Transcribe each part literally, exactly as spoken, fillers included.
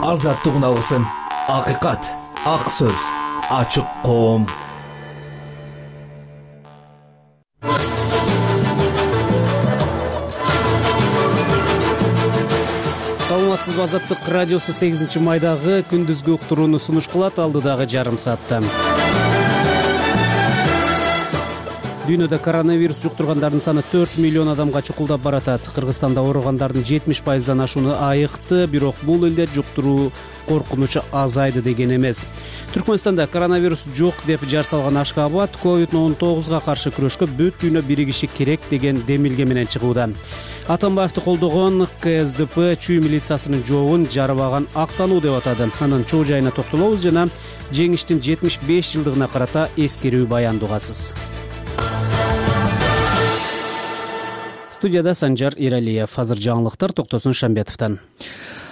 Азаттык алгысым, акыйкат, ак сөз, ачык коом. Саламатсызбы, Азаттык радиосу сегизинчи майдагы күндүзгү уктурууну сунуш кылат. Алдыдагы жарым саатта дүйнөдө коронавирус жуктургандардын саны төрт миллион адамга чукулдап баратат. Кыргызстанда ооругандардын жетимиш пайыздан ашууну айыкты, бирок бул элде жуктуруу коркунучу азайды деген эмес. Түркмөнстанда коронавирус жок деп жар салган Ашкабад ковид он тогузга каршы күрөшкө бүт дүйнө биригиши керек деген демилге менен чыгууда. Атамбаевди колдогон ка эс дэ пэ чүй милициясынын жообун жарабаган актануу деп атады. Анын чоо жайына токтолобуз жана жеңиштин жетимиш беш жылдыгына карата эскерүү баянды угасыз. Студияда Санжар Иралиев. Азыр жаңылыктар Токтосун Шамбетовдон.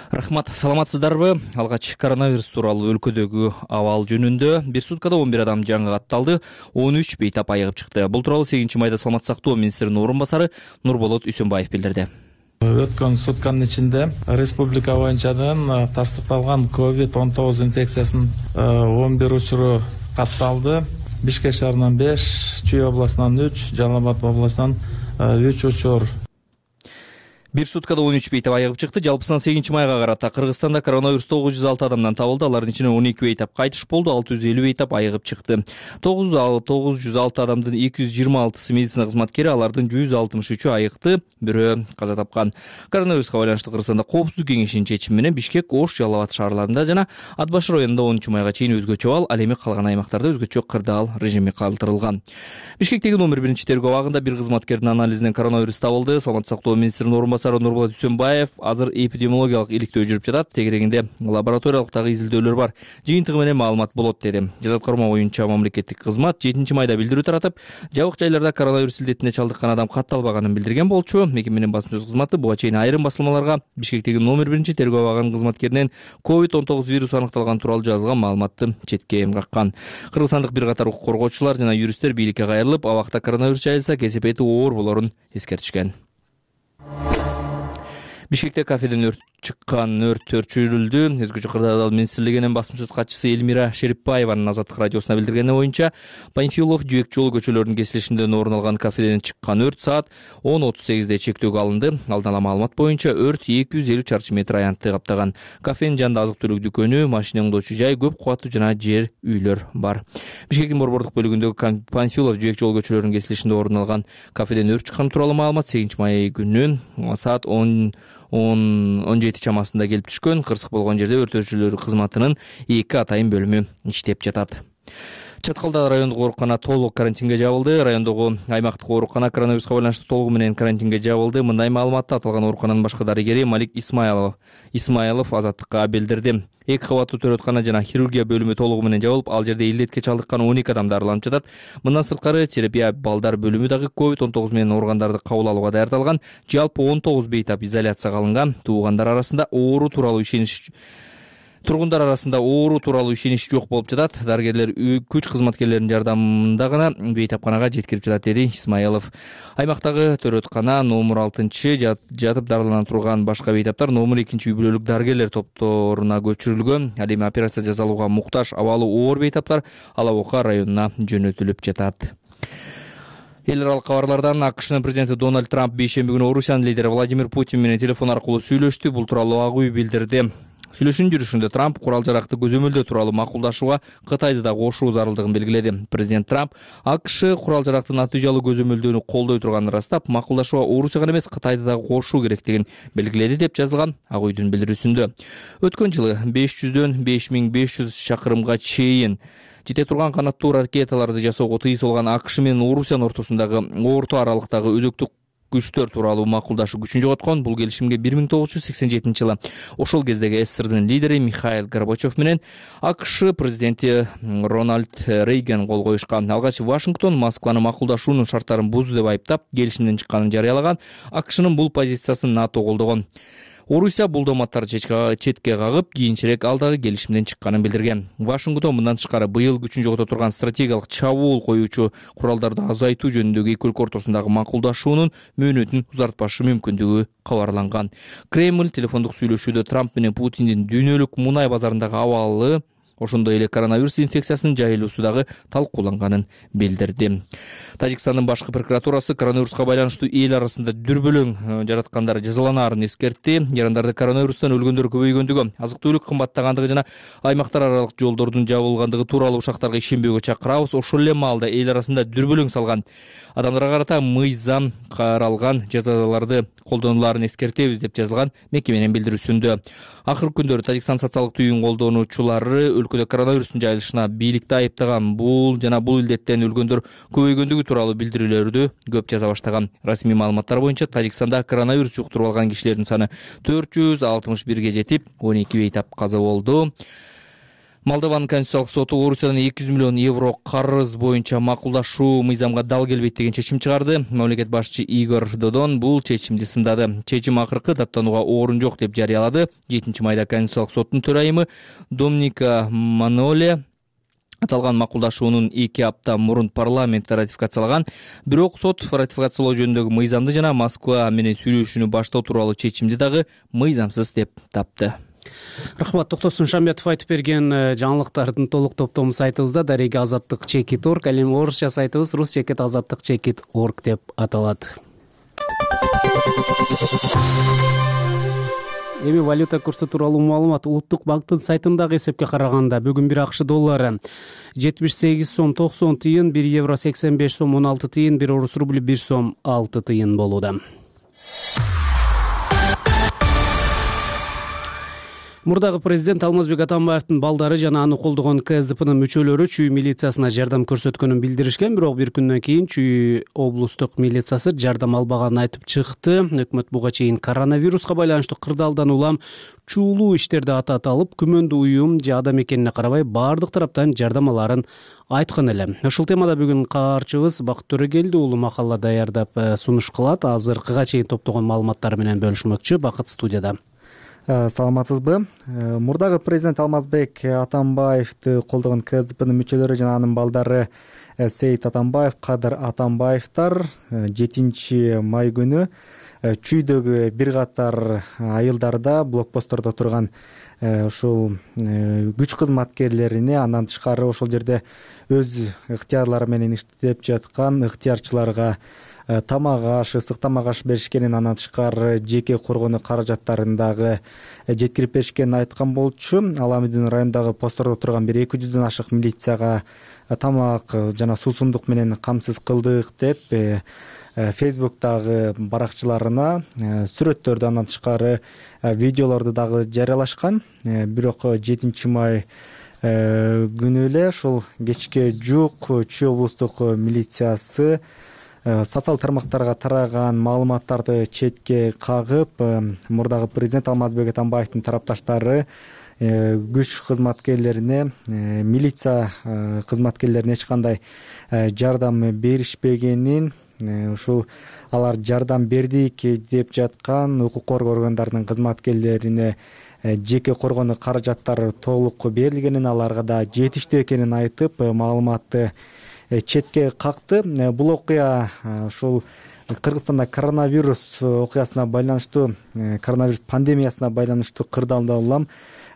Рахмат, саламатсыздарбы? Алгач коронавирус тууралуу өлкөдөгү абал жөнүндө бир суткада он бир адам жаңы катталды, он үч бейтап айыгып чыкты. Бул тууралуу сегизинчи майда саламат сактоо министринин орун басары Нурболот Үсөнбаев билдирди. Өткөн сутканын ичинде республика боюнчадан тастыкталган ковид он тогуз инфекциясынын он бир учуру катталды. Бишкек шаарынан беш, Чүй областынан үч, Жалал Абад областынан үч учур. Бир суткада он үч бейтап айыгып чыкты. Жалпысынан сегизинчи майга карата Кыргызстанда коронавирус тогуз жүз алты адамдан табылды. Алардын ичинен он эки бейтап кайтыш болду, алты жүз элүү бейтап айыгып чыкты. тогуз жүз алты адамдын эки жүз жыйырма алтысы медицина кызматкери, алардын жүз алтымыш үчү айыкты, бирөө каза тапкан. Коронавируска байланыштуу Кыргызстанда Коопсуздук кеңешинин чечими менен Бишкек, Ош, Жалал Абад шаарларында жана Ат башы районунда онунчу майга чейин өзгөчө абал, ал эми калган аймактарда өзгөчө кырдаал режими калтырылган. Бишкектеги номер биринчи тергөө абагында бир кызматкердин анализинен коронавирус табылды. Саламат сактоо министринин орун басары Нурболот Үсөнбаев азыр эпидемиологиялык иликтөө жүрүп жатат, тегерегинде лабораториялык дагы изилдөөлөр бар, жыйынтыгы менен маалымат болот деди. Жазаткарма боюнча мамлекеттик кызмат жетинчи майда билдирүү таратып, жабык жайларда коронавирус илдетине чалдыккан адам катталбаганын билдирген болчу. Мекеменин басма сөз кызматы буга чейин айрым басылмаларга Бишкектеги номер биринчи тергөө абагынын кызматкеринен ковид он тогуз вирусу аныкталган тууралуу жазылган маалыматты четке каккан. Кыргызстандык бир катар укук коргоочулар жана юристтер бийликке кайрылып, абакта коронавирус жайылса кесепети оор болорун эскертишкен. Бишкекте кафеден өрт чыккан, өрт өчүрүлдү. Өзгөчө кырдаал министрлигинин басма сөз катчысы Элмира Шериповаеванын Азаттык радиосуна билдиргени боюнча, Панфилов, Жүйөк жолу көчөлөрүнүн кесилишинде орун алган кафеден чыккан өрт саат он отуз сегизде чектөөгө алынды. Алдын ала маалымат боюнча өрт эки жүз элүү чарчы метр аянтты каптаган. Кафенин жанында азык-түлүк дүкөнү, машина оңдоочу жай, көп кубаттуу жана жер үйлөр бар. Бишкектин борбордук бөлүгүндөгү Панфилов, Жүйөк жолу көчөлөрүнүн кесилишинде орун алган кафеден өрт чыккан тууралуу маалымат сегизинчи май күнү саат он он жети чамасында келип түшкөн. Кырсык болгон жерде өрт өчүрүү кызматынын эки атайын бөлүмү иштеп жатат. Чаткалда райондук оорукана толук карантинге жабылды. Райондогу аймактык оорукана коронавируска байланыштуу толугу менен карантинге жабылды. Мындай маалыматты аталган оорукананын башкы дарыгери Малик Исмайлов Исмайлов Азаттыкка билдирди. Эки кабаттуу төрөткана жана хирургия бөлүмү толугу менен жабылып, ал жерде илдетке чалдыккан он эки адам дарыланып жатат. Мындан сырткары терапия балдар бөлүмү дагы ковид он тогуз менен ооругандарды кабыл алууга даярдалган. Жалпы он тогуз бейтап изоляцияга алынган. Туугандар арасында оору тууралуу ишенич Тургундар арасында оору тууралуу ишенич жок болуп жатат. Дарыгерлер күч кызматкерлеринин жардамында гана бейтапканага жеткирип жатат, деди Исмайлов. Аймактагы төрөткана номер алтынчы жатып дарылана турган башка бейтаптар номер экинчи үй бүлөлүк дарыгерлер топторуна көчүрүлгөн. Ал эми операция жасалууга муктаж абалы оор бейтаптар Алабока районуна жөнөтүлүп жатат. Эл аралык кабарлардан АКШнын президенти Дональд Трамп бейшемби күнү Орусиянын лидери Владимир Путин менен телефон аркылуу сүйлөштү. Бул тууралуу Ак үй билдирди. Сүйлөшүүнүн жүрүшүндө Трамп курал жаракты көзөмөлдөө тууралуу макулдашууга Кытайды да кошуу зарылдыгын белгиледи. Президент Трамп АКШ курал жаракты натыйжалуу көзөмөлдөөнү колдой турганын ырастап, макулдашууга Орусияга эмес Кытайды да кошуу керектигин белгиледи деп жазылган Ак үйдүн билдирүүсүндө. Өткөн жылы беш жүздөн беш миң беш жүз чакырымга чейин жете турган канаттуу ракеталарды жасоого тыюу салган АКШ менен Орусиянын ортосундагы орто аралыктагы өзөктүк күчтөр тууралуу макулдашуу күчүн жоготкон. Бул келишимге бир миң тогуз жүз сексен жетинчи жылы ошол кездеги СССРдын лидери Михаил Горбачев менен АКШ президенти Рональд Рейган кол коюшкан. Алгач Вашингтон Москваны макулдашуунун шарттарын бузду деп айыптап, келишимден чыкканын жарыялаган. АКШнын бул позициясын НАТО колдогон. Орусия бул дооматтарды четке кагып, кийинчерээк алдагы келишимден чыкканын билдирген. Вашингтон мындан тышкары быйыл күчүн жогото турган стратегиялык чабуул коюучу куралдарды азайтуу жөнүндөгү эки өлкө ортосундагы макулдашуунун мөөнөтүн узартпашы мүмкүндүгү кабарланган. Кремль телефондук сүйлөшүүдө Трамп менен Путиндин дүйнөлүк мунай базарындагы абалы, ошондой эле коронавирус инфекциясынын жайылуусу дагы талкууланганын билдирди. Тажикстандын башкы прокуратурасы коронавируска байланыштуу эл арасында дүрбөлөң жараткандар жазаланаарын эскертти. Ярандарды коронавирустан өлгөндөр көбөйгөндүгү, азык-түлүк кымбаттагандыгы жана аймактар аралык жолдордун жабылгандыгы тууралуу ушактарга ишенбөөгө чакырабыз. Ошол эле маалда эл арасында дүрбөлөң салган адамдарга карата мыйзам каралган жазаларды колдонуларын эскертебиз деп жазылган мекеменин билдирүүсүндө. Акыркы күндөрү Тажикстан социалдык түйүн колдонуучулары өлкөдө коронавирустун жайылышына бийликти айыптаган. Бул жана бул илдеттен өлгөндөр көбөйгөндүгү тууралуу билдирүүлөрдү көп жаза баштаган. Расмий маалыматтар боюнча Тажикстанда коронавирус жуктуруп алган кишилердин саны төрт жүз алтымыш бирге жетип, он эки бейтап каза болду. Молдованын конституциялык соту Орусиядан эки жүз миллион евро карыз боюнча макулдашуу мыйзамга дал келбейт деген чечим чыгарды. Мамлекет башчы Игорь Додон бул чечимди сындады. Чечим акыркы даттанууга орун жок деп жарыялады. жетинчи майда конституциялык соттун төрайымы Домника Маноле аталган макулдашуунун эки апта мурун парламентте ратификациялаган. Бирок сот ратификациялоо жөнүндөгү мыйзамды жана Москва менен сүйлөшүүнү баштоо тууралуу чечимди дагы мыйзамсыз деп тапты. Рахмат, Токтосун Шамбетов айтып берген жаңылыктардын толук топтому сайтыбызда дареги азаттык чекит орг, ал эми орусча сайтыбыз рус чекит азаттык чекит орг деп аталат. Эми валюта курсу тууралуу маалымат. Улуттук банктын сайтындагы эсепке караганда бүгүн бир акш доллары жетимиш сегиз сом токсон тыйын, бир евро сексен беш сом он алты тыйын, бир орус рубли бир сом алты тыйын болууда. Мурдагы президент Алмазбек Атамбаевдин балдары жана аны колдогон ка эс дэ пнын мүчөлөрү Чүй милициясына жардам көрсөткөнүн билдиришкен, бирок бир күндөн кийин Чүй облустук милициясы жардам албаганын айтып чыкты. Өкмөт буга чейин коронавируска байланыштуу кырдаалдан улам чуулуу иштерди атат алып, күмөндүү уюм же адам экенине карабай баардык тараптан жардам аларын айткан эле. Ушул темада бүгүн каарчыбыз Бакыт Төрөгелди уулу макала даярдап сунуш кылат. Азыркыга чейин топтогон маалыматтары менен бөлүшмөкчү. Бакыт студияда. Саламатсызбы? Мурдагы президент Алмазбек Атамбаевди колдогон ка эс дэ пнын мүчөлөрү жана анын балдары Сейит Атамбаев, Кадыр Атамбаевдер жетинчи май күнү Чүйдөгү бир катар айылдарда блокпосттордо турган ушул күч кызматкерлерине, андан тышкары ошол жерде өз ыктыярлары менен иштеп жаткан ыктыярчыларга тамак аш, ысык тамак аш беришкенин, андан тышкары жеке коргонуу каражаттарын дагы жеткирип беришкенин айткан болчу. Ал Амидин районундагы посттордо турган бир эки жүздөн ашык милицияга тамак жана суусундук менен камсыз кылдык деп Фейсбуктагы баракчыларына сүрөттөрдү, андан тышкары видеолорду дагы жарыялашкан. Бирок жетинчи май күнү эле ушул кечке жук Чүй облустук милициясы социал тармактарга тараган маалыматтарды четке кагып, мурдагы президент Алмазбек Атамбаевдин тарапташтары күч кызматкерлерине, милиция кызматкерлерине эч кандай жардам беришпегенин, ушул алар жардам бердик деп жаткан укук коргоо органдарынын кызматкерлерине жеке коргонуу каражаттары толук берилгенин, аларга да жетиштүү экенин айтып, маалыматты четке какты. Бул окуя ушул Кыргызстанда коронавирус окуясына байланыштуу, коронавирус пандемиясына байланыштуу кырдаалдан улам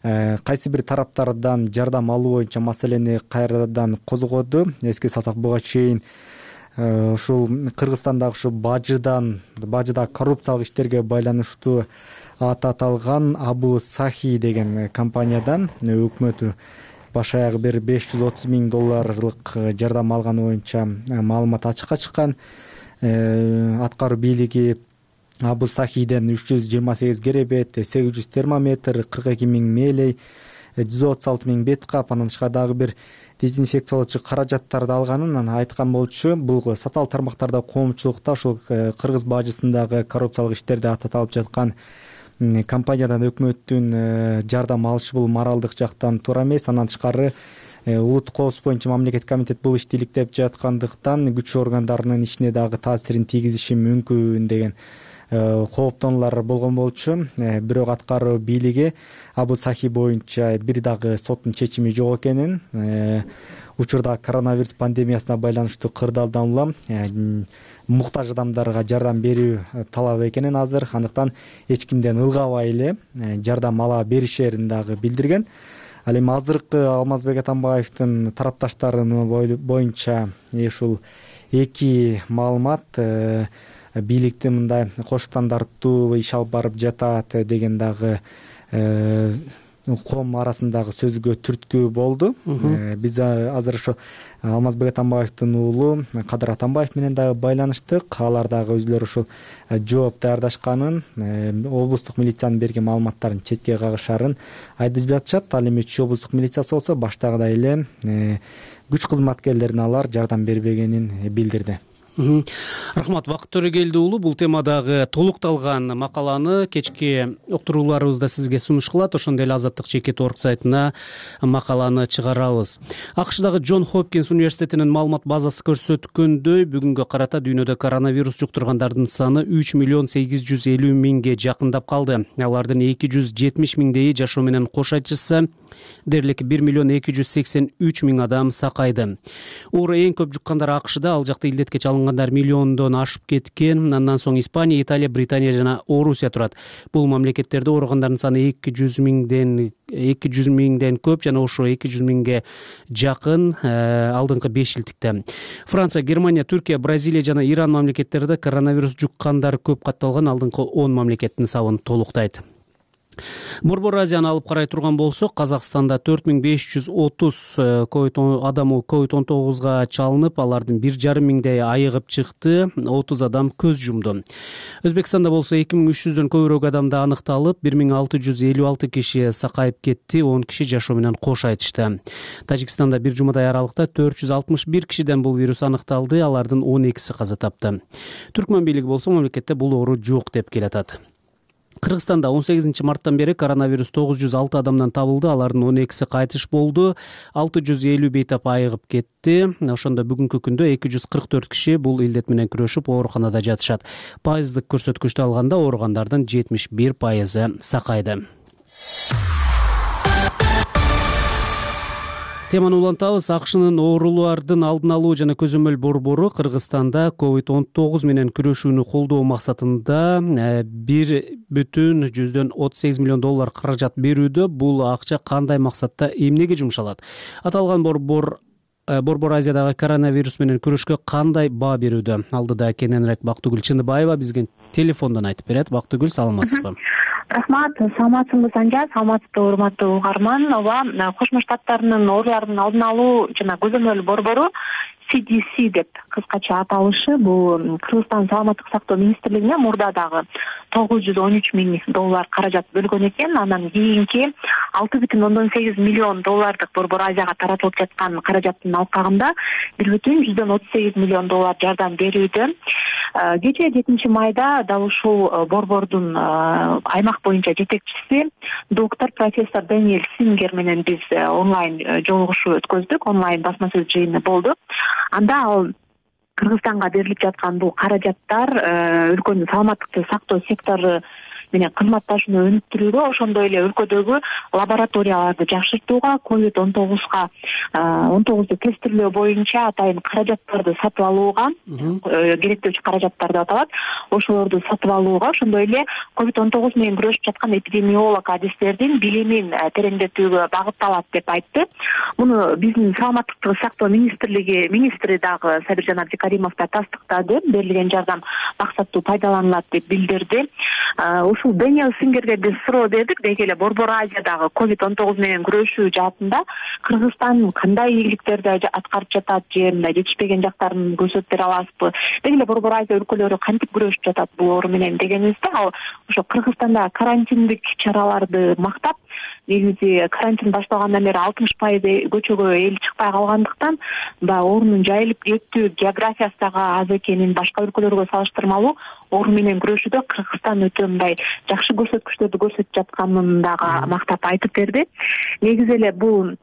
кайсы бир тараптардан жардам алуу боюнча маселени кайрадан козгоду. Эске салсак, буга чейин ушул Кыргызстандагы ушу бажыдан, бажыда коррупциялык иштерге байланыштуу аты аталган Абу Сахи деген компаниядан өкмөтү баш аягы бир беш жүз отуз миң долларлык жардам алганы боюнча маалымат ачыкка чыккан. Аткаруу бийлиги Абу Сахиден үч жүз жыйырма сегиз керебет, сегиз жүз термометр, кырк эки миң мээлей, жүз отуз алты миң бет кап, андан тышкары дагы бир дезинфекциялоочу каражаттарды алганын айткан болчу. Бул социал тармактарда, коомчулукта ушул Кыргыз бажысындагы коррупциялык иштерди аталып жаткан компаниядан өкмөттүн жардам алышы бул моралдык жактан туура эмес. Андан тышкары улуттук коопсуздук боюнча мамлекеттик комитет бул ишти иликтеп жаткандыктан күч органдарынын ишине дагы таасирин тийгизиши мүмкүн деген кооптонулар болгон болчу. Бирок аткаруу бийлиги Абу Сахи боюнча бир дагы соттун чечими жок экенин, учурда коронавирус пандемиясына байланыштуу кырдаалдан улам муктаж адамдарга жардам берүү талап экенин азыр, андыктан эч кимден ылгабай эле жардам ала беришерин дагы билдирген. Ал эми азыркы Алмазбек Атамбаевдин тарапташтарынын боюнча ушул эки маалымат бийликтин мындай кош стандарттуу иш алып барып жатат деген дагы коом арасындагы сөзгө түрткү болду. Биз азыр ошо Алмазбек Атамбаевдин уулу Кадыр Атамбаев менен дагы байланыштык. Алар дагы өзүлөрү ушул жооп даярдашканын, облустук милициянын берген маалыматтарын четке кагышарын айтып жатышат. Ал эми Чүй облустук милициясы болсо баштагыдай эле күч кызматкерлерине алар жардам бербегенин билдирди. Рахмат, Бакыт Төрөгелди уулу, бул темадагы толукталган макаланы кечки уктурууларыбызда сизге сунушталат. Ошондой эле Азаттык чекит орг сайтына макаланы чыгарабыз. АКШдагы Джон Хопкинс университетинин маалымат базасы көрсөткөндөй, бүгүнгө карата дүйнөдө коронавирус жуктургандардын саны үч миллион сегиз жүз элүү миңге жакындап калды. Алардын эки жүз жетимиш миңдейи жашоо менен кош айтышса, дээрлик бир миллион эки жүз сексен үч миң адам сакайды. Оору эң көп жуккандар АКШда, ал жакта илдетке чалынгандар миллиондон ашып кеткен. Андан соң Испания, Италия, Британия жана Орусия турат. Бул мамлекеттерде ооругандардын саны эки жүз миңден эки жүз миңден көп жана ошо эки жүз миңге жакын алдыңкы беш жылдыкта. Франция, Германия, Түркия, Бразилия жана Иран мамлекеттерде коронавирус жуккандар көп катталган. Алдыңкы он мамлекеттин сабын толуктайт. Борбор Азияны алып карай турган болсок, Казакстанда төрт миң беш жүз отуз адамы ковид он тогузга чалынып, алардын бир жарым миңдей айыгып чыкты, отуз адам көз жумду. Өзбекстанда болсо эки миң үч жүздөн көбүрөөк адамды аныкталып, бир миң алты жүз элүү алты киши сакайып кетти, он киши жашоо менен кош айтышты. Тажикстанда бир жумадай аралыкта төрт жүз алтымыш бир кишиден бул вирус аныкталды, алардын он экиси каза тапты. Түркмөн бийлиги болсо мамлекетте бул оору жок деп келатат. Кыргызстанда он сегизинчи марттан бери коронавирус тогуз жүз алты адамдан табылды, алардын он экиси кайтыш болду, алты жүз элүү бейтап айыгып кетти. Ошондо бүгүнкү күндө эки жүз кырк төрт киши бул илдет менен күрөшүп ооруканада жатышат. Пайыздык көрсөткүчтү алганда ооругандардын жетимиш бир пайызы сакайды. Теманы улантабыз. АКШнын оорулардын алдын алуу жана көзөмөл борбору Кыргызстанда ковид он тогуз менен күрөшүүнү колдоо максатында бир бүтүн жүздөн отуз сегиз миллион доллар каражат берүүдө. Бул акча кандай максатта, эмнеге жумшалат? Аталган борбор Борбор Азиядагы коронавирус менен күрөшкө кандай баа берүүдө? Алдыда кененирээк Бактыгүл Чындыбаева бизге телефондон айтып берет. Бактыгүл, саламатсызбы? Рахмат, саламатсызбы Санжар, саламатсызбы урматтуу угарман. Ооба, Кошмо Штаттарынын оорулардын алдын алуу жана көзөмөл борбору си ди си деп кыскача аталышы, бул Кыргызстан саламаттык сактоо министрлигине мурда дагы тогуз жүз он үч миң доллар каражат бөлгөн экен. Анан кийинки алты бүтүн ондон сегиз миллион доллардык Борбор Азияга таратылып жаткан каражаттын алкагында бир бүтүн жүздөн отуз сегиз миллион доллар жардам берүүдө. Кечээ жетинчи майда дал ушул борбордун аймак боюнча жетекчиси доктор профессор Дэниэл Сингер менен биз онлайн жолугушуу өткөздүк, онлайн басма сөз жыйыны болду. Анда ал Кыргызстанга берилип жаткан бул каражаттар өлкөнүн саламаттыкты сактоо сектору менен кызматташууну өнүктүрүүгө, ошондой эле өлкөдөгү лабораторияларды жакшыртууга, ковид он тогузга он тогузду тестирлөө боюнча атайын каражаттарды сатып алууга, керектөөчү каражаттар деп аталат, ошолорду сатып алууга, ошондой эле ковид он тогуз менен күрөшүп жаткан эпидемиолог адистердин билимин тереңдетүүгө багытталат деп айтты. Муну биздин саламаттыкты сактоо министрлиги министри дагы Сабиржан Абдикаримов да тастыктады. Берилген жардам максаттуу пайдаланылат деп билдирди. Ушул Дэниэл Сингерге биз суроо бердик, деги эле Борбор Азиядагы ковид он тогуз менен күрөшүү жаатында Кыргызстан кандай ийгиликтерди аткарып жатат, же мындай жетишпеген жактарын көрсөтүп бере аласызбы? Деги эле Борбор Азия өлкөлөрү кантип күрөшүп жатат бул оору менен дегенибизде, ал ошо Кыргызстанда карантиндик чараларды мактап, негизи карантин башталгандан бери алтымыш пайыз көчөгө эл чыкпай калгандыктан баягы оорунун жайылып кетүү географиясы дагы аз экенин, башка өлкөлөргө салыштырмалуу оору менен күрөшүүдө Кыргызстан өтө мындай жакшы көрсөткүчтөрдү көрсөтүп жатканын дагы мактап айтып берди. Негизи эле бул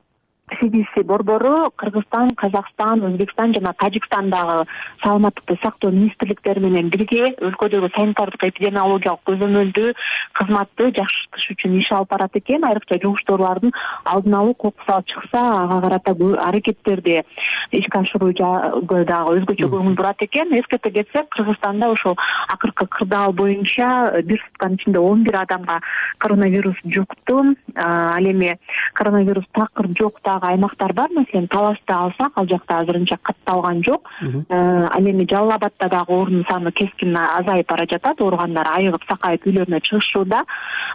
си ди си борбору Кыргызстан, Казакстан, Өзбекстан жана Тажикстандагы саламаттыкты сактоо министрликтери менен бирге өлкөдөгү санитардык эпидемиологиялык көзөмөлдүү кызматты жакшыртыш үчүн иш алып барат экен. Айрыкча жугуштуу оорулардын алдын алуу кокусу чыкса ага карата аракеттерди ишке ашыруу дагы өзгөчө көңүл бурат экен. Эскерте кетсек, Кыргызстанда ошол акыркы кырдаал боюнча бир сутканын ичинде он бир адамга коронавирус жукту. Ал эми коронавирус такыр жок дагы аймактар бар. Маселен, Талашты алсак, ал жакта азырынча катталган жок. Ал эми Жалал Абадта дагы оорунун саны кескин азайып бара жатат. Ооругандар айыгып, сакайып үйлөрүнө чыгышууда.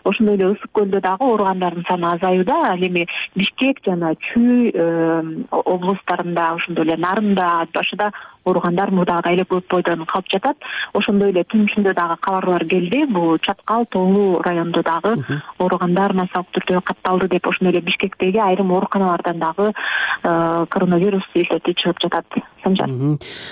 Ошондой эле Ысык көлдө дагы ооругандардын саны азаюуда. Ал эми Бишкек жана Чүй облустарында, ошондой эле Нарында, Ат башыда ооругандар мурдагыдай эле көп бойдон калып жатат. Ошондой эле түн ичинде дагы кабарлар келди. Бул Чаткал, Тоолуу районунда дагы ооругандар массалык түрдө катталды деп, ошондой эле Бишкектеги айрым ооруканалардан дагы коронавирус илдети чыгып жатат. Санжар.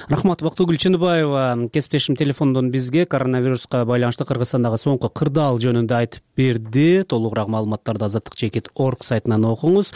Рахмат. Бактыгүл Чыныбаева кесиптешим телефондон бизге коронавируска байланыштуу Кыргызстандагы соңку кырдаал жөнүндө айтып берди. Толугураак маалыматтарды азаттык чекит точка орг сайтынан окуңуз.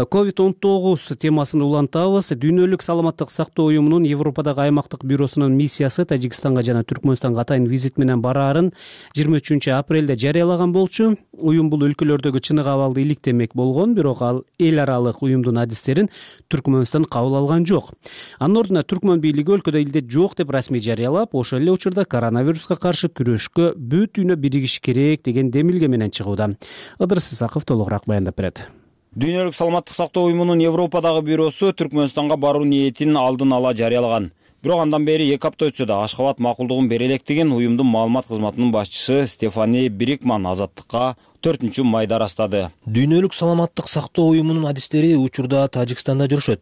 ковид он тогуз темасын улантабыз. Дүйнөлүк саламаттык сактоо уюмунун Европадагы аймактык бюросунун миссиясы Тажикстанга жана Түркмөнстанга атайын визит менен бараарын жыйырма үчүнчү апрелде жарыялаган болчу. Уюм бул өлкөлөрдөгү чыныгы абалды иликтемек болгон, бирок ал эл аралык уюмдун адистерин Түркмөнстан кабыл алган жок. Анын ордуна Түркмөн бийлиги өлкөдө илдет жок деп расмий жарыялап, ошол эле учурда коронавируска каршы күрөшкө бүт дүйнө биригиш керек деген демилге менен чыгууда. Ыдырыс Исаков толугураак баяндап берет. Дүйнөлүк саламаттык сактоо уюмунун Европадагы бюросу Түркмөнстанга баруу ниетин алдын ала жарыялаган. Бирок андан бери эки апта өтсө да Ашхабад макулдугун бере электигин уюмдун маалымат кызматынын башчысы Стефани Брикман азаттыкка төртүнчү майда ырастады. Дүйнөлүк саламаттык сактоо уюмунун адистери учурда Тажикстанда жүрүшөт.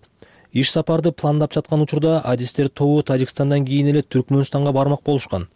Иш сапарды пландап жаткан учурда адистер тобу Тажикстандан кийин эле Түркмөнстанга бармак болушкан.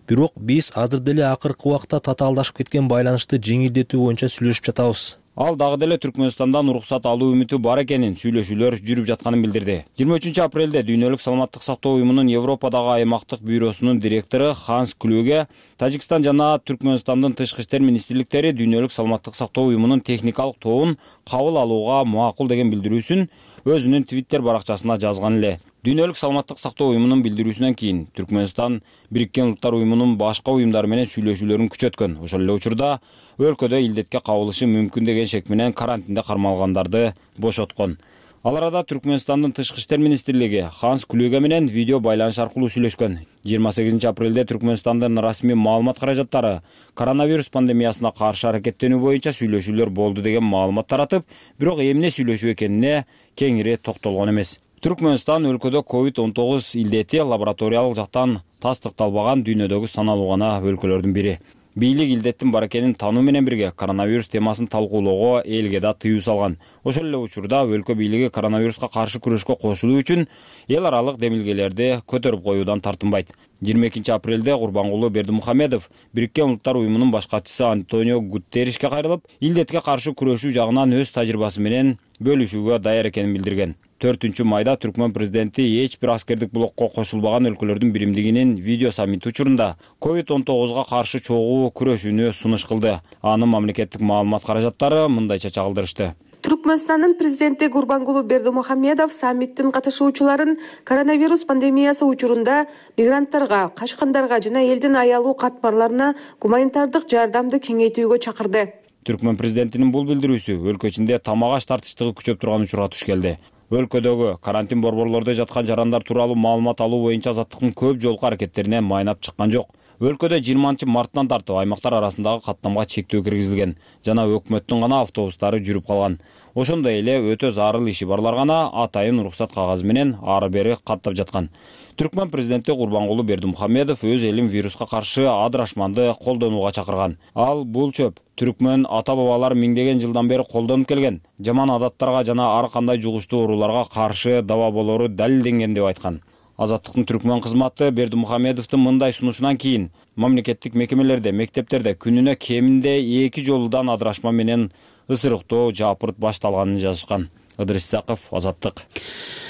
Бирок биз азыр деле акыркы убакта татаалдашып кеткен байланышты жеңилдетүү боюнча сүйлөшүп жатабыз. Ал дагы деле Түркмөнстандан уруксат алуу үмүтү бар экенин, сүйлөшүүлөр жүрүп жатканын билдирди. жыйырма үчүнчү апрелде Дүйнөлүк саламаттык сактоо уюмунун Европадагы аймактык бюросунун директору Ханс Клюге Тажикстан жана Түркмөнстандын тышкы иштер министрликтери Дүйнөлүк саламаттык сактоо уюмунун техникалык тобун кабыл алууга макул деген билдирүүсүн өзүнүн Twitter баракчасына жазган эле. Дүйнөлүк саламаттык сактоо уюмунун билдирүүсүнөн кийин Түркмөнстан Бириккен Улуттар уюмунун башка уюмдары менен сүйлөшүүлөрүн күчөткөн. Ошол эле учурда өлкөдө илдетке кабылышы мүмкүн деген шек менен карантинде кармалгандарды бошоткон. Ал арада Түркмөнстандын тышкы иштер министрлиги Ханс Клюге менен видео байланыш аркылуу сүйлөшкөн. жыйырма сегизинчи апрелде Түркмөнстандын расмий маалымат каражаттары коронавирус пандемиясына каршы аракеттенүү боюнча сүйлөшүүлөр болду деген маалымат таратып, бирок эмне сүйлөшүү экенине кеңири токтолгон эмес. Түркмөнстан өлкөдө ковид он тогуз илдети лабораториялык жактан тастыкталбаган дүйнөдөгү саналуу гана өлкөлөрдүн бири. Бийлик илдеттин бар экенин тануу менен бирге коронавирус темасын талкуулоого элге да тыюу салган. Ошол эле учурда өлкө бийлиги коронавируска каршы күрөшкө кошулуу үчүн эл аралык демилгелерди көтөрүп коюудан тартынбайт. жыйырма экинчи апрелде Курбангулы Бердимухамедов Бириккен Улуттар уюмунун баш катчысы Антонио Гуттеришке кайрылып, илдетке каршы күрөшүү жагынан өз тажрыйбасы менен бөлүшүүгө даяр экенин билдирген. төртүнчү майда Түркмөн президенти эч бир аскердик блокко кошулбаган өлкөлөрдүн биримдигинин видео саммити учурунда ковид он тогузга каршы чогуу күрөшүүнү сунуш кылды. Анын мамлекеттик маалымат каражаттары мындайча чагылдырышты. Түркмөнстандын президенти Гурбангулы Бердимухамедов саммиттин катышуучуларын коронавирус пандемиясы учурунда мигранттарга, качкандарга жана элдин аялуу катмарларына гуманитардык жардамды кеңейтүүгө чакырды. Түркмөн президентинин бул билдирүүсү өлкө ичинде тамак-аш тартыштыгы күчөп турган учурга туш келди. Өлкөдөгү карантин борборлордо жаткан жарандар тууралуу маалымат алуу боюнча азаттыктын көп жолку аракеттерине майнап чыккан жок. Өлкөдө жыйырманчы марттан тартып аймактар арасындагы каттамга чектөө киргизилген жана өкмөттүн гана автобустары жүрүп калган. Ошондой эле өтө зарыл иши барлар гана атайын уруксат кагазы менен ары бери каттап жаткан. Түркмөн президенти Курбангулы Бердимухамедов өз элин вируска каршы адырашманды колдонууга чакырган. Ал бул чөп түркмөн ата-бабалар миңдеген жылдан бери колдонуп келген жаман адаттарга жана ар кандай жугуштуу ооруларга каршы даба болору далилденген деп айткан. Азаттыктын түркмөн кызматы Бердимухамедовдун мындай сунушунан кийин мамлекеттик мекемелерде, мектептерде күнүнө кеминде эки жолудан адырашма менен ысырыктоо жапырт башталганын жазышкан. Ыдырыс Исаков, Азаттык.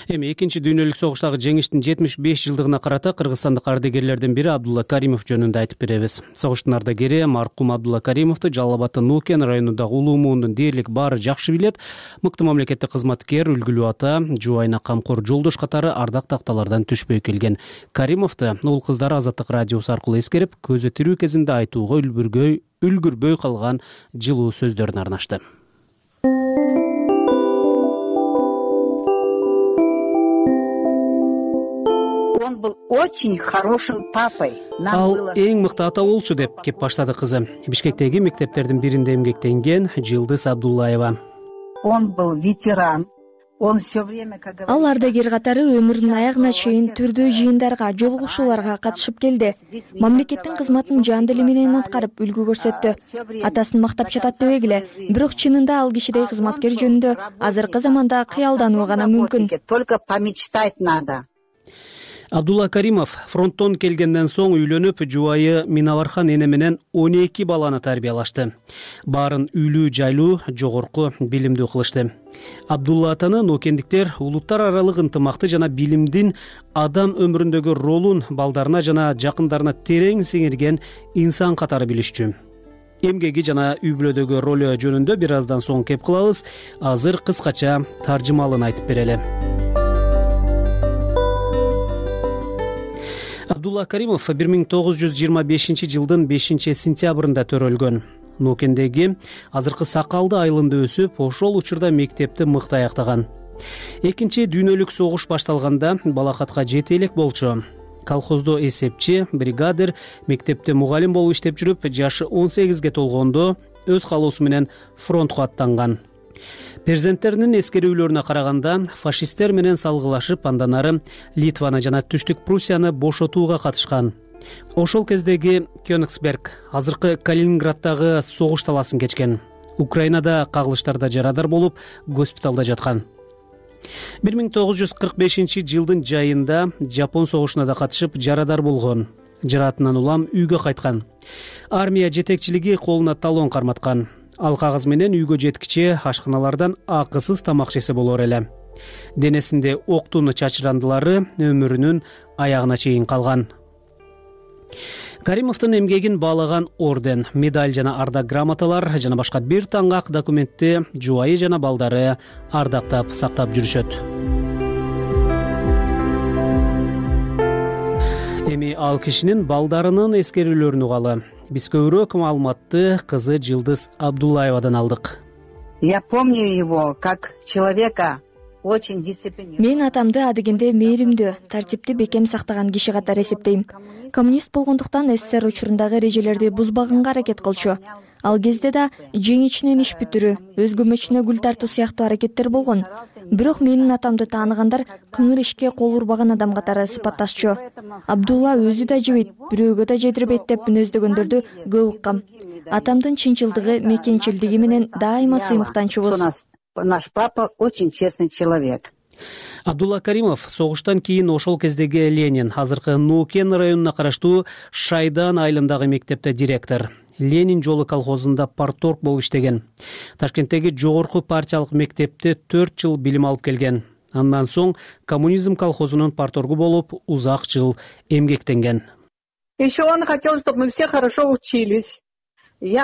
Эми экинчи дүйнөлүк согуштагы жеңиштин жетимиш беш жылдыгына карата кыргызстандык ардагерлердин бири Абдулла Каримов жөнүндө айтып беребиз. Согуштун ардагери маркум Абдулла Каримовду Жалал Абаддын Нуукен районундагы улуу муундун дээрлик баары жакшы билет. Мыкты мамлекеттик кызматкер, үлгүлүү ата, жубайына камкор жолдош катары ардак такталардан түшпөй келген. Каримовду уул кыздары Азаттык радиосу аркылуу эскерип, көзү тирүү кезинде айтууга үлгүргөй үлгүрбөй калган жылуу сөздөрүн арнашты. Он был очень хорошим папой. Ал эң мыкты ата болчу деп кеп баштады кызы. Бишкектеги мектептердин биринде эмгектенген Жылдыз Абдуллаева. Он был ветеран. Он все время, как говорится, ал ардагер катары өмүрүнүн аягына чейин түрдүү жыйындарга, жолугушууларга катышып келди. Мамлекеттин кызматын жан дили менен аткарып үлгү көрсөттү. Атасын мактап жатат дебегиле, бирок чынында ал кишидей кызматкер жөнүндө азыркы заманда кыялдануу гана мүмкүн. Только помечтать надо. Абдулла Каримов фронттон келгенден соң үйлөнүп, жубайы Минавархан эне менен он эки баланы тарбиялашты. Баарын үйлүү жайлуу, жогорку билимдүү кылышты. Абдулла атаны нокендиктер улуттар аралык ынтымакты жана билимдин адам өмүрүндөгү ролун балдарына жана жакындарына терең сиңирген инсан катары билишчү. Эмгеги жана үй бүлөдөгү ролу жөнүндө бир аздан соң кеп кылабыз. Азыр кыскача таржымалын айтып берели. Абдулла Каримов бир миң тогуз жүз жыйырма бешинчи жылдын бешинчи сентябрында төрөлгөн. Нокендеги азыркы Сакалды айылында өсүп, ошол учурда мектепти мыкты аяктаган. Экинчи дүйнөлүк согуш башталганда балакатка жете элек болчу. Колхоздо эсепчи, бригадир, мектепте мугалим болуп иштеп жүрүп, жашы он сегизге толгондо өз каалоосу менен фронтко аттанган. Перзенттеринин эскерүүлөрүнө караганда фашисттер менен салгылашып, андан ары Литваны жана Түштүк Пруссияны бошотууга катышкан. Ошол кездеги Кёнигсберг, азыркы Калининграддагы согуш таласын кечкен. Украинада кагылыштарда жарадар болуп, госпиталда жаткан. бир миң тогуз жүз кырк бешинчи жылдын жайында Жапон согушуна да катышып, жарадар болгон. Жаратынан улам үйгө кайткан. Армия жетекчилиги колуна талон карматкан. Ал кагаз менен үйгө жеткиче ашканалардан акысыз тамак жесе болор эле. Денесинде октун чачырандылары өмүрүнүн аягына чейин калган. Каримовдун эмгегин баалаган орден, медаль жана ардак грамоталар жана башка бир таңгак документти жубайы жана балдары ардактап сактап жүрүшөт. Эми ал кишинин балдарынын эскерүүлөрүн угалы. Биз көбүрөөк маалыматты кызы Жылдыз Абдуллаевадан алдык. Я помню его как человека очень дисциплинированного. Мен атамды адегенде мээримдүү, тартипти бекем сактаган киши катары эсептейм. Коммунист болгондуктан СССР учурундагы эрежелерди бузбаганга аракет кылчу. Ал кезде да жең ичинен иш бүтүрүү, өз көмөчүнө гүл тартуу сыяктуу аракеттер болгон. Бирок менин атамды тааныгандар кыңыр ишке кол урбаган адам катары сыпатташчу. Абдулла өзү да жебейт, бирөөгө да жедирбейт деп мүнөздөгөндөрдү көп уккам. Атамдын чынчылдыгы, мекенчилдиги менен дайыма сыймыктанчубуз. Наш папа очень честный человек. Абдулла Каримов согуштан кийин ошол кездеги Ленин, азыркы Нуукен районуна караштуу Шайдан айылындагы мектепте директор. Ленин жолу колхозунда парторг болуп иштеген. Ташкенттеги жогорку партиялык мектепте төрт жыл билим алып келген. Андан соң коммунизм колхозунун парторгу болуп узак жыл эмгектенген. Еще он хотел, чтобы мы все хорошо учились.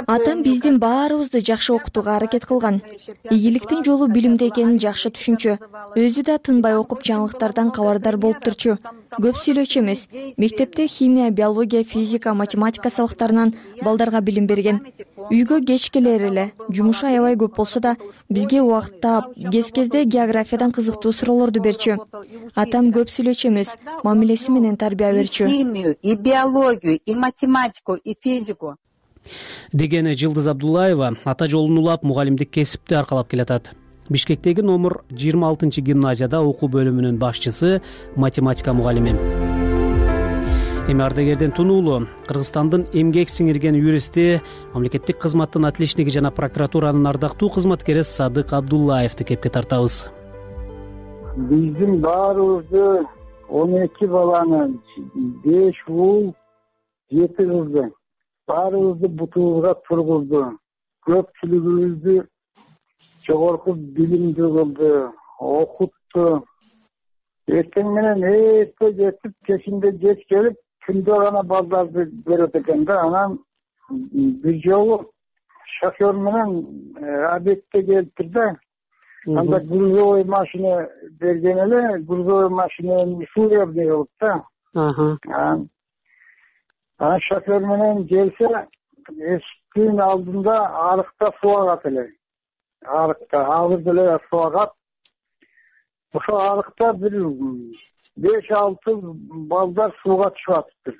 Атам биздин баарыбызды жакшы окутууга аракет кылган. Ийгиликтин жолу билимде экенин жакшы түшүнчү. Өзү да тынбай окуп жаңылыктардан кабардар болуп турчу. Көп сүйлөчү эмес. Мектепте химия, биология, физика, математика сабактарынан балдарга билим берген. Үйгө кеч келер эле. Жумушу аябай көп болсо да бизге убакыт таап, кез-кезде географиядан кызыктуу суроолорду берчү. Атам көп сүйлөчү эмес, мамилеси менен тарбия берчү. Химию, и биологию, и математику, и физику. Деген Жылдыз Абдуллаева ата жолун улап мугалимдик кесипти аркалап келатат. Бишкектеги номер жыйырма алтынчы гимназияда окуу бөлүмүнүн башчысы, математика мугалими. Эми ардагерден тунуулуу Кыргызстандын эмгек сиңирген юристи, мамлекеттик кызматтын отличниги жана прокуратуранын ардактуу кызматкери Садык Абдуллаевди кепке тартабыз. Биздин баарыбызды он эки баланы, беш уул, жети кызды баарыбызды бутубузга тургузду. Көпчүлүгүбүздү жогорку билимди кылды, окутту. Эртең менен эрте жетип, кечинде кеч келип, күндө гана балдарды көрөт экен да. Анан бир жолу шофер менен объектке келиптир да. Анда грузовой машина берген эле, грузовой машинаны служебный кылып да. Анан шофер менен келсе, эшиктин алдында арыкта суу агат эле. Арыкта агыз эле суу агат. Ошо арыкта бир беш алты балдар сууга түшүп атыптыр.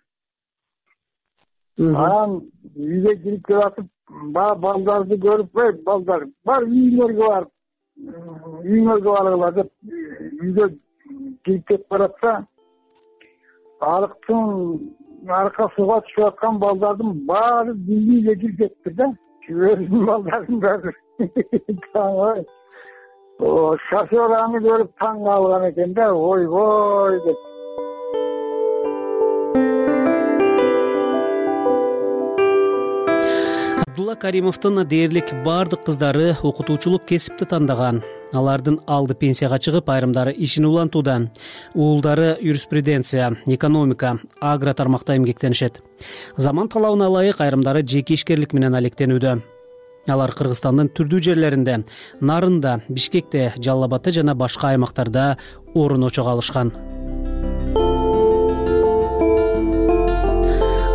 Анан үйгө кирип келатып, балдарды көрүп, балдар бар үйлөргө барып, үйүңөргө баргыла деп үйгө кирип кетип баратса, арыктын арка сууга түшүп аткан балдардын баары үйгө кирип кетиптир да. Өзүнүн балдардын баары. Шофер аны көрүп таң калган экен да, ойбой деп. Абдулла Каримовдун дээрлик бардык кыздары окутуучулук кесипти тандаган. Алардын алды пенсияга чыгып, айрымдары ишин улантууда. Уулдары юриспруденция, экономика, агро тармакта эмгектенишет. Заман талабына ылайык айрымдары жеке ишкерлик менен алектенүүдө. Алар Кыргызстандын түрдүү жерлеринде, Нарында, Бишкекте, Жалал Абадта жана башка аймактарда орун очого алышкан.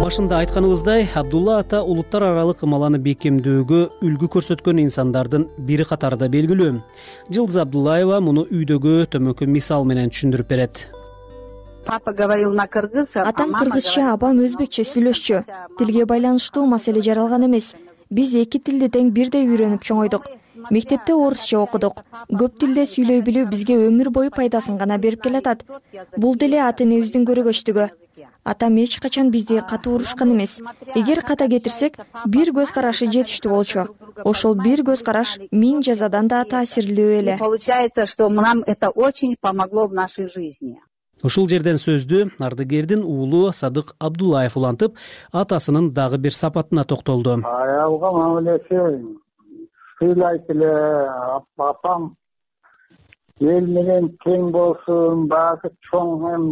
Башында айтканыбыздай, Абдулла ата улуттар аралык ымаланы бекемдөөгө үлгү көрсөткөн инсандардын бири катарында белгилүү. Жылдыз Абдуллаева муну үйдөгү төмөнкү мисал менен түшүндүрүп берет. Папа говорил на кыргыз, атам кыргызча, апам өзбекче сүйлөшчү. Тилге байланыштуу маселе жаралган эмес. Биз эки тилди тең бирдей үйрөнүп чоңойдук. Мектепте орусча окудук. Көп тилде сүйлөй билүү бизге өмүр бою пайдасын гана берип келатат. Бул деле ата энебиздин көрөгөчтүгү. Атам эч качан бизди катуу урушкан эмес. Эгер ката кетирсек, бир көз карашы жетиштүү болчу. Ошол бир көз караш миң жазадан да таасирлүү эле. Получается, что нам это очень помогло в нашей жизни. Ушул жерден сөздү ардыгердин уулу Садык Абдуллаев улантып, атасынын дагы бир сапатына токтолду. Аялга мамилеси сыйлайт эле, апам эл менен тең болсун, баягы чоң эм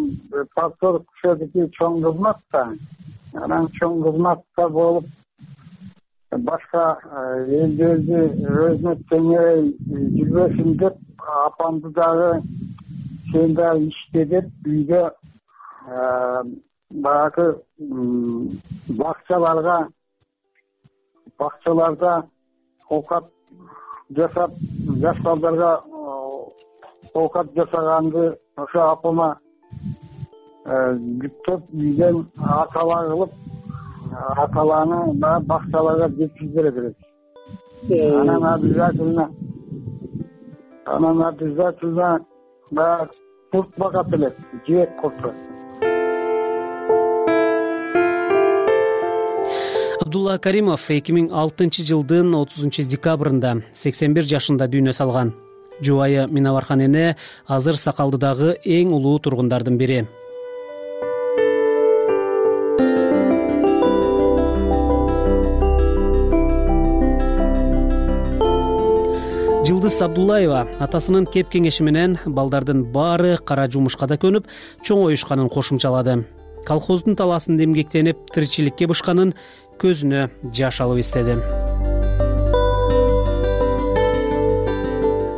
пастордук күчөдүки чоң кызмат да. Анан чоң кызматта болуп, башка элдерди өзүнө теңей жүрбөсүн деп, апамды дагы сен да иште деп үйдө баягы бакчаларга бакчаларда оокат жасап, жаш балдарга оокат жасаганды ошо апама жүктөп үйдөн акала кылып, акаланы бакчаларга жеткизип берет. Анан обязательно анан обязательно да курт багат эле, жээк курту. Абдулла Каримов эки миң алтынчы жылдын отузунчу декабрында сексен бир жашында дүйнө салган. Жубайы Минабархан эне азыр Сакалдыдагы эң улуу тургундардын бири. Жылдыз Абдуллаева атасынын кеп кеңеши менен балдардын баары кара жумушка да көнүп, чоңоюшканын кошумчалады. Колхоздун таласында эмгектенип, тиричиликке бышканын көзүнө жаш алып эстеди.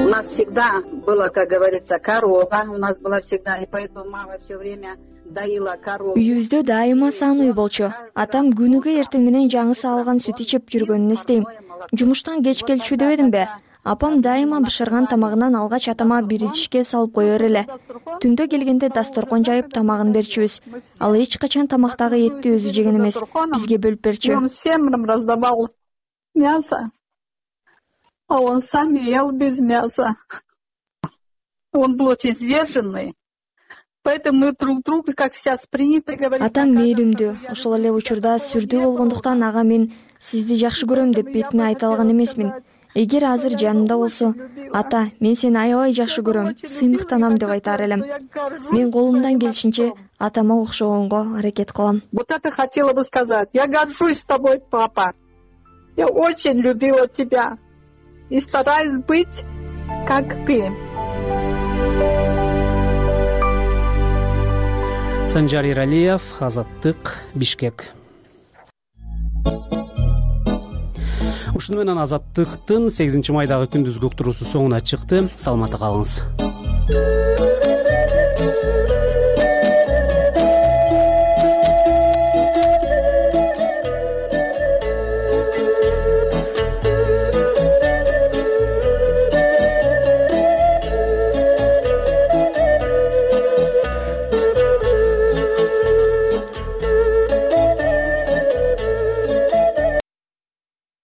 У нас всегда было, как говорится, корова, у нас была всегда, и поэтому мама все время доила корову. Үйүбүздө дайыма саан үй болчу. Атам күнүгө эртең менен жаңысы алган сүт ичип жүргөнүн эстейм. Жумуштан кеч келчү дебедимби? Апам дайыма бышырган тамагынан алгач атама бир идишке салып коер эле. Түндө келгенде дасторкон жайып тамагын берчүбүз. Ал эч качан тамактагы этти өзү жеген эмес, бизге бөлүп берчү. Он всем раздавал мясо, а он сам ел без мяса. Он был очень сдержанный. Поэтому мы друг друга, как сейчас принято говорить. Атам мээлимдүү, ошол эле учурда сүрдүү болгондуктан ага мен сизди жакшы көрөм деп бетине айта алган эмесмин. Эгер азыр жанымда болсо, ата, мен сени аябай жакшы көрөм, сыймыктанам деп айтар элем. Мен колумдан келишинче атама окшогонго аракет кылам. Вот это хотела бы сказать. Я горжусь тобой, папа. Я очень любила тебя. и стараюсь быть как ты. Санжар Иралиев, Азаттык, Бишкек. Ушуну менен Азаттыктын сегизинчи майдагы күндүзгү уктуруусу соңуна чыкты. Саламатта калыңыз.